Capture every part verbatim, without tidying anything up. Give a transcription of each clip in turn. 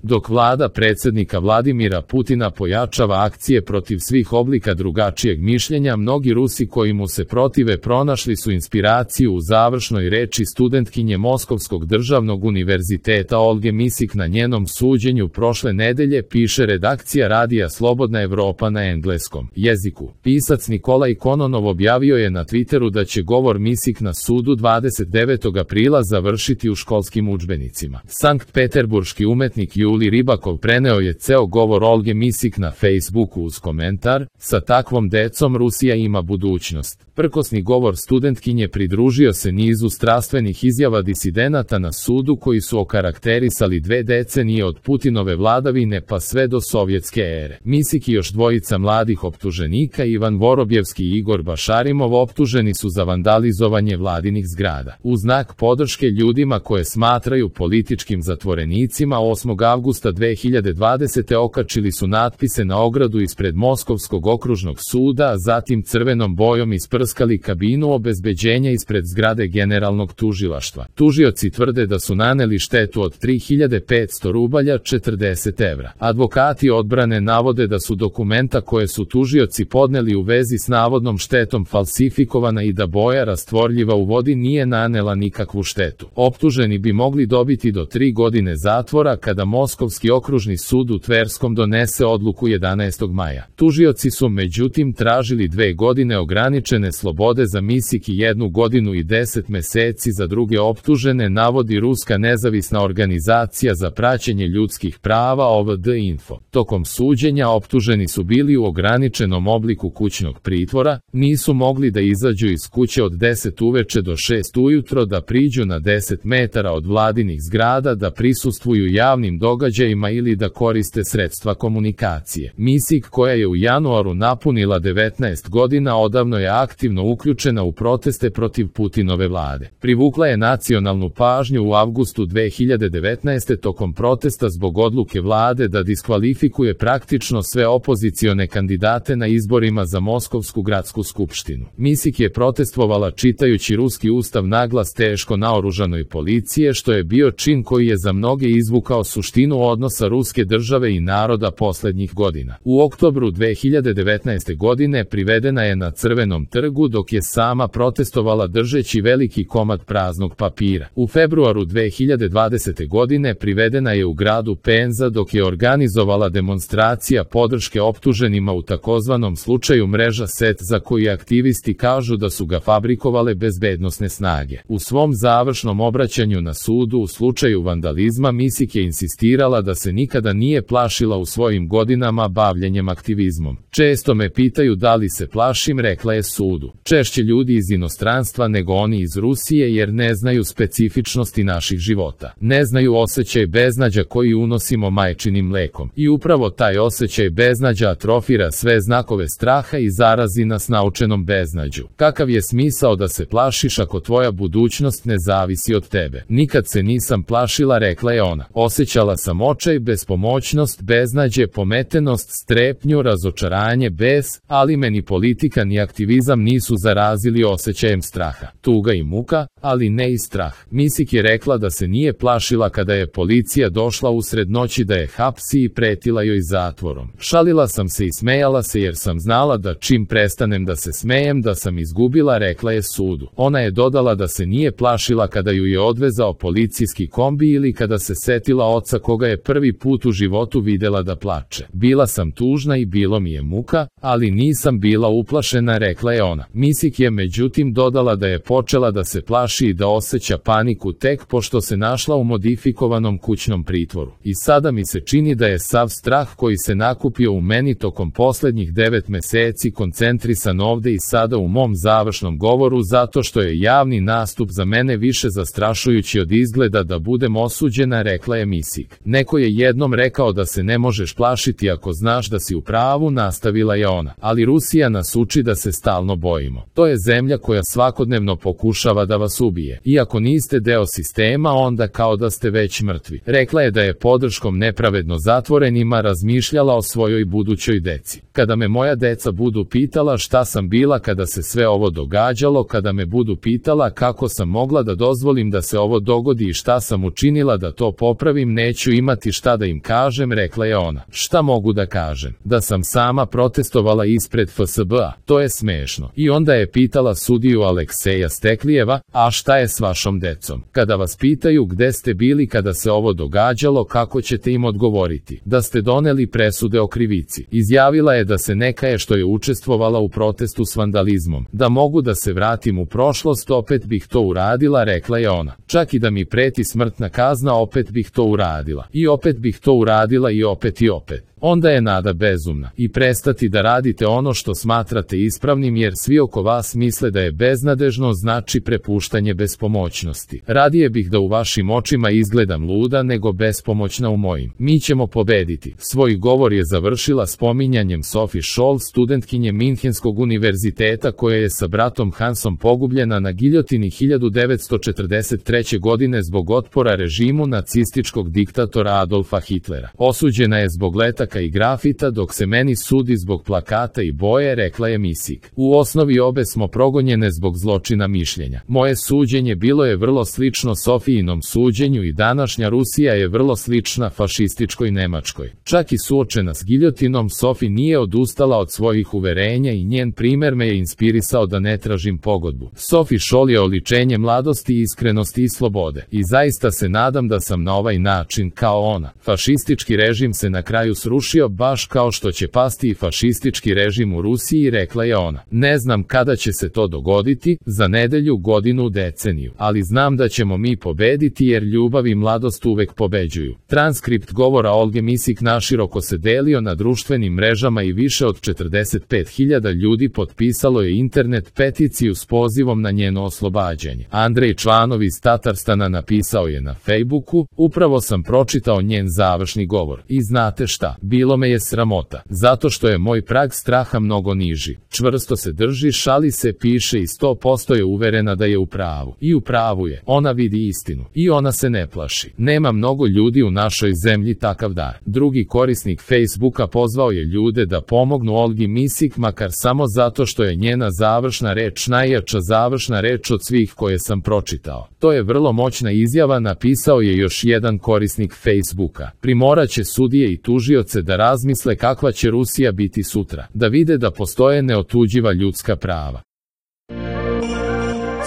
Dok vlada predsjednika Vladimira Putina pojačava akcije protiv svih oblika drugačijeg mišljenja, mnogi Rusi koji mu se protive pronašli su inspiraciju u završnoj reči studentkinje Moskovskog državnog univerziteta Olge Misik na njenom suđenju prošle nedelje, piše redakcija radija Slobodna Evropa na engleskom jeziku. Pisac Nikolaj Kononov objavio je na Twitteru da će govor Misik na sudu dvadeset devetog aprila završiti u školskim udžbenicima. Sankt Peterburški umetnik Juli Ribakov preneo je ceo govor Olge Misik na Facebooku uz komentar: "Sa takvom decom Rusija ima budućnost." Prkosni govor studentkinje pridružio se nizu strastvenih izjava disidenata na sudu koji su okarakterisali dve decenije od Putinove vladavine pa sve do sovjetske ere. Misik i još dvojica mladih optuženika, Ivan Vorobjevski i Igor Bašarimov, optuženi su za vandalizovanje vladinih zgrada. U znak podrške ljudima koje smatraju političkim zatvorenicima, osmog avgusta dve hiljade dvadesete. okačili su natpise na ogradu ispred Moskovskog okružnog suda, a zatim crvenom bojom isprskali kabinu obezbeđenja ispred zgrade generalnog tužilaštva. Tužioci tvrde da su naneli štetu od tri hiljade petsto rubalja četrdeset evra. Advokati odbrane navode da su dokumenta koje su tužioci podneli u vezi s navodnom štetom falsifikovana i da boja rastvorljiva u vodi nije nanela nikakvu štetu. Optuženi bi mogli dobiti do tri godine zatvora kada Moskovski okružni sud u Tverskom donese odluku jedanaestog maja. Tužioci su međutim tražili dve godine ograničene slobode za Misik i jednu godinu i deset meseci za druge optužene, navodi ruska nezavisna organizacija za praćenje ljudskih prava O V D Info. Tokom suđenja optuženi su bili u ograničenom obliku kućnog pritvora, nisu mogli da izađu iz kuće od deset uveče do šest ujutro, da priđu na deset metara od vladinih zgrada, da prisustvuju javnim događajima ili da koriste sredstva komunikacije. Misik, koja je u januaru napunila devetnaest godina, odavno je aktivno uključena u proteste protiv Putinove vlade. Privukla je nacionalnu pažnju u avgustu dve hiljade devetnaeste. tokom protesta zbog odluke vlade da diskvalifikuje praktično sve opozicione kandidate na izborima za Moskovsku gradsku skupštinu. Misik je protestvovala čitajući ruski ustav naglas teško naoružanoj policije, što je bio čin koji je za mnoge izvukao suštinu odnosa ruske države i naroda poslednjih godina. U oktobru dve hiljade devetnaeste. godine privedena je na Crvenom trgu dok je sama protestovala držeći veliki komad praznog papira. U februaru dve hiljade dvadesete. godine privedena je u gradu Penza dok je organizovala demonstracija podrške optuženima u takozvanom slučaju mreža Set, za koji aktivisti kažu da su ga fabrikovale bezbednosne snage. U svom završnom obraćanju na sudu u slučaju vandalizma, Misik je insistirala da se nikada nije plašila u svojim godinama bavljenjem aktivizmom. "Često me pitaju da li se plašim", rekla je sudu. "Češće ljudi iz inostranstva nego oni iz Rusije, jer ne znaju specifičnosti naših života. Ne znaju osjećaj beznađa koji unosimo majčinim mlekom. I upravo taj osjećaj beznađa atrofira sve znakove straha i zarazi nas naučenom beznađu. Kakav je smisao da se plašiš ako tvoja budućnost ne zavisi od tebe? Nikad se nisam plašila", rekla je ona. "Osjećala sam očaj, bespomoćnost, beznađe, pometenost, strepnju, razočaranje, bes, ali me ni politika ni aktivizam nisu zarazili osjećajem straha. Tuga i muka, ali ne i strah." Misik je rekla da se nije plašila kada je policija došla usred noći da je hapsi i pretila joj zatvorom. "Šalila sam se i smejala se jer sam znala da čim prestanem da se smejem da sam izgubila", rekla je sudu. Ona je dodala da se nije plašila kada ju je odvezao policijski kombi ili kada se setila oca koga je prvi put u životu videla da plače. "Bila sam tužna i bilo mi je muka, ali nisam bila uplašena", rekla je ona. Misik je međutim dodala da je počela da se plaši i da osjeća paniku tek pošto se našla u modifikovanom kućnom pritvoru. "I sada mi se čini da je sav strah koji se nakupio u meni tokom poslednjih devet meseci koncentrisan ovde i sada u mom završnom govoru, zato što je javni nastup za mene više zastrašujući od izgleda da budem osuđena", rekla je Misik. "Neko je jednom rekao da se ne možeš plašiti ako znaš da si u pravu", nastavila je ona. "Ali Rusija nas uči da se stalno bojimo. To je zemlja koja svakodnevno pokušava da vas ubije. Iako niste deo sistema, onda kao da ste već mrtvi." Rekla je da je podrškom nepravedno zatvorenima razmišljala o svojoj budućoj deci. "Kada me moja deca budu pitala šta sam bila kada se sve ovo događalo, kada me budu pitala kako sam mogla da dozvolim da se ovo dogodi i šta sam učinila da to popravim, neću neću imati šta da im kažem, rekla je ona. Šta mogu da kažem? Da sam sama protestovala ispred F S B-a, to je smešno. I onda je pitala sudiju Alekseja Steklijeva, a šta je s vašom decom? Kada vas pitaju gde ste bili kada se ovo događalo, kako ćete im odgovoriti? Da ste doneli presude o krivici. Izjavila je da se ne kaje što je učestvovala u protestu s vandalizmom. Da mogu da se vratim u prošlost, opet bih to uradila, rekla je ona. Čak i da mi preti smrtna kazna, opet bih to uradila. I opet bih to uradila i opet i opet. Onda je nada bezumna. I prestati da radite ono što smatrate ispravnim, jer svi oko vas misle da je beznadežno, znači prepuštanje bespomoćnosti. Radije bih da u vašim očima izgledam luda nego bespomoćna u mojim. Mi ćemo pobediti. Svoj govor je završila spominjanjem Sophie Scholl, studentkinje Minhenskog univerziteta koja je sa bratom Hansom pogubljena na giljotini hiljadu devetsto četrdeset treće. godine zbog otpora režimu nacističkog diktatora Adolfa Hitlera. Osuđena je zbog letaka i grafita, dok se meni sudi zbog plakata i boje, rekla je Misik. U osnovi obe smo progonjene zbog zločina mišljenja. Moje suđenje bilo je vrlo slično Sofijinom suđenju i današnja Rusija je vrlo slična fašističkoj Nemačkoj. Čak i suočena s giljotinom, Sofi nije odustala od svojih uverenja i njen primer me je inspirisao da ne tražim pogodbu. Sophie Scholl je oličenje mladosti, iskrenosti i slobode. I zaista se nadam da sam na ovaj način kao ona. Fašistički režim se na kraju srušio baš kao što će pasti i fašistički režim u Rusiji, rekla je ona. Ne znam kada će se to dogoditi, za nedelju, godinu, deceniju, ali znam da ćemo mi pobediti jer ljubav i mladost uvek pobeđuju. Transkript govora Olge Misik naširoko se delio na društvenim mrežama i više od četrdeset pet hiljada ljudi potpisalo je internet peticiju s pozivom na njeno oslobađanje. Andrej Čvanov iz Tatarstana napisao je na Facebooku: upravo sam pročitao njen završni govor i znate šta, bilo me je sramota, zato što je moj prag straha mnogo niži. Čvrsto se drži, šali se, piše i sto posto je uverena da je u pravu. I u pravu je, ona vidi istinu i ona se ne plaši. Nema mnogo ljudi u našoj zemlji takav dar. Drugi korisnik Facebooka pozvao je ljude da pomognu Olgi Misik, makar samo zato što je njena završna reč najjača završna reč od svih koje sam pročitao. To je vrlo moćna izjava, napisao je još jedan korisnik Facebooka. Primoraće sudije i tužioce da razmisle kakva će Rusija biti sutra, da vide da postoje neotuđiva ljudska prava.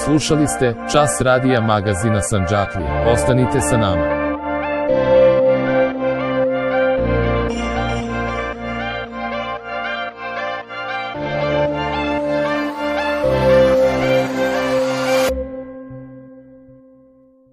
Slušali ste Čas radija magazina Sandžaklije. Ostanite sa nama.